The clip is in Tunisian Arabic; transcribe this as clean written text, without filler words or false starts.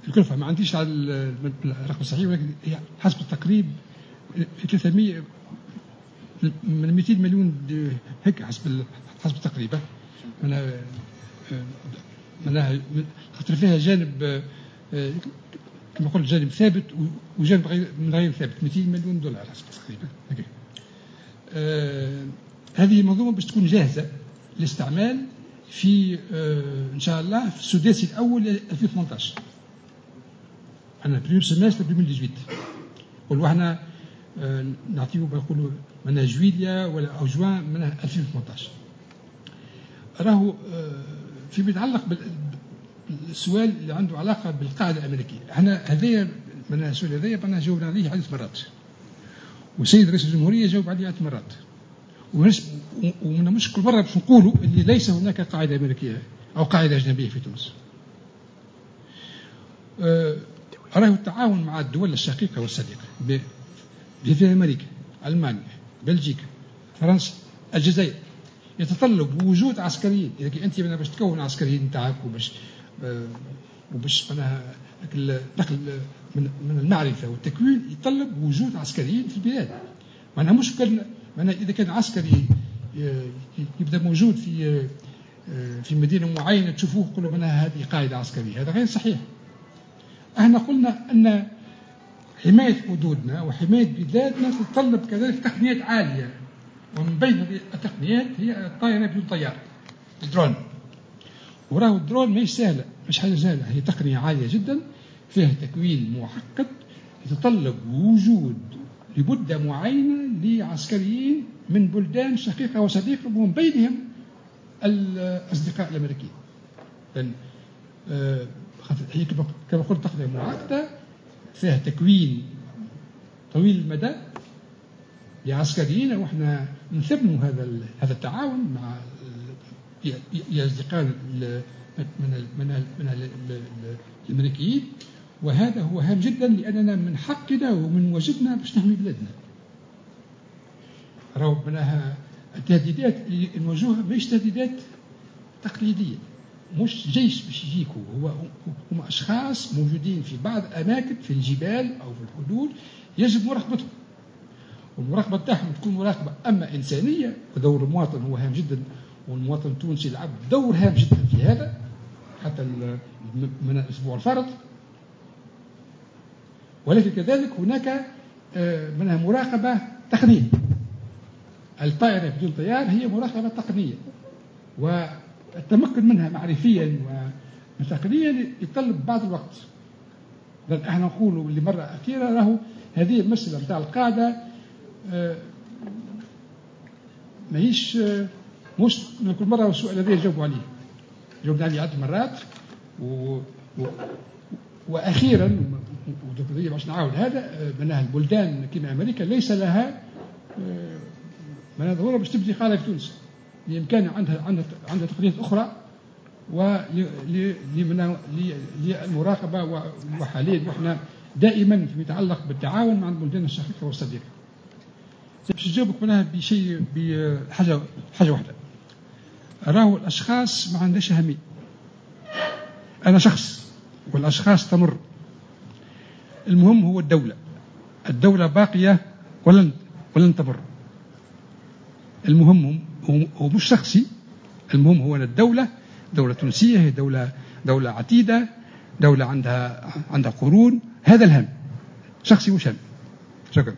الكلفة ما عنديش على الرقم الصحيح، ولكن هي حسب التقريب 300 من 200 مليون هيك حسب التقريب. معناها خاطر فيها جانب كما قلت جانب ثابت وجانب غير من غير ثابت، 200 مليون دولار حسب التقريب. هذه المنظومة باش تكون جاهزة للاستعمال في ان شاء الله في السداسي الاول 2018، احنا premier semestre 2018. نقولوا احنا نعطيو نقولوا من جويليا ولا او جوان من 2018. راهو فيما يتعلق بالسؤال اللي عنده علاقة بالقاعدة الامريكية، احنا هذايا من السؤال هذايا معناها جاوبنا عليه عده مرات، والسيد رئيس الجمهورية جاوب عليه عده مرات، ومن مش كل مرة باش نقولوا اللي ليس هناك قاعدة امريكية او قاعدة اجنبية في تونس. راهو التعاون مع الدول الشقيقة والصديقه في امريكا، المانيا، بلجيكا، فرنسا، الجزائر، يتطلب وجود عسكريين. اذا انت باش تكون عسكريين نتاعك وباش معناها نقل من المعرفة والتكوين يتطلب وجود عسكريين في البلاد. معناها مش كان معناها اذا كان عسكري يبدا موجود في مدينة معينة تشوفوه تقولوا معناها هذه قاعدة عسكرية، هذا غير صحيح. احنا قلنا ان حماية حدودنا وحماية بلادنا تتطلب كذلك تقنيات عالية، ومن بين هذه التقنيات هي الطائرة بدون طيار، الدرون. وراهو الدرون ماهيش سهلة، مش حاجة سهلة، هي تقنية عالية جدا فيها تكوين معقد يتطلب وجود لمدة معينة لعسكريين من بلدان شقيقة وصديقة ومن بينهم الأصدقاء الأمريكيين. لأن هي كما قلت تقنية معقدة فيها تكوين طويل المدى لعسكريين، واحنا نثمن هذا التعاون مع أصدقائنا من الأمريكيين، وهذا هو هام جدا لأننا من حقنا ومن واجبنا باش نحمي بلادنا. راهو معناها التهديدات اللي نواجهوها ماهيش تهديدات تقليدية، مش جيش باش يجيكوا، هو هم أشخاص موجودين في بعض الأماكن في الجبال أو في الحدود يجب مراقبتهم، والمراقبة تاعهم تكون مراقبة أما إنسانية، ودور المواطن هو هام جدا، والمواطن التونسي لعب دور هام جدا في هذا حتى من الأسبوع الفارط، ولكن كذلك هناك منها مراقبة تقنية. الطائرة بدون طيار هي مراقبة تقنية، والتمكن منها معرفيا وتقنيا يتطلب بعض الوقت. لأن احنا نقولوا لمرة أخيرة راهو هذه المسألة نتاع القاعدة ماهيش مش كل مرة السؤال هذا يجاوبوا عليه، جاوبنا عليه عدة مرات وأخيرا باش نعاود هذا معناها البلدان كما أمريكا ليس لها معناها ضرورة باش تبني قاعدة في تونس، بإمكانها عندها تقنيات أخرى وللمراقبة. وحاليا وإحنا دائما فيما يتعلق بالتعاون مع البلدان الشقيقة والصديقة. باش نجاوبك معناها بشيء بحاجة حاجة واحدة، راهو الأشخاص ما عندهاش أهمية، أنا شخص والأشخاص تمر، المهم هو الدولة، الدولة باقية ولن تمر. المهم هو مش شخصي، المهم هو أن الدولة دولة تونسية، هي دولة عتيدة، دولة عندها قرون، هذا الهم، شخصي مش هم. شكرا.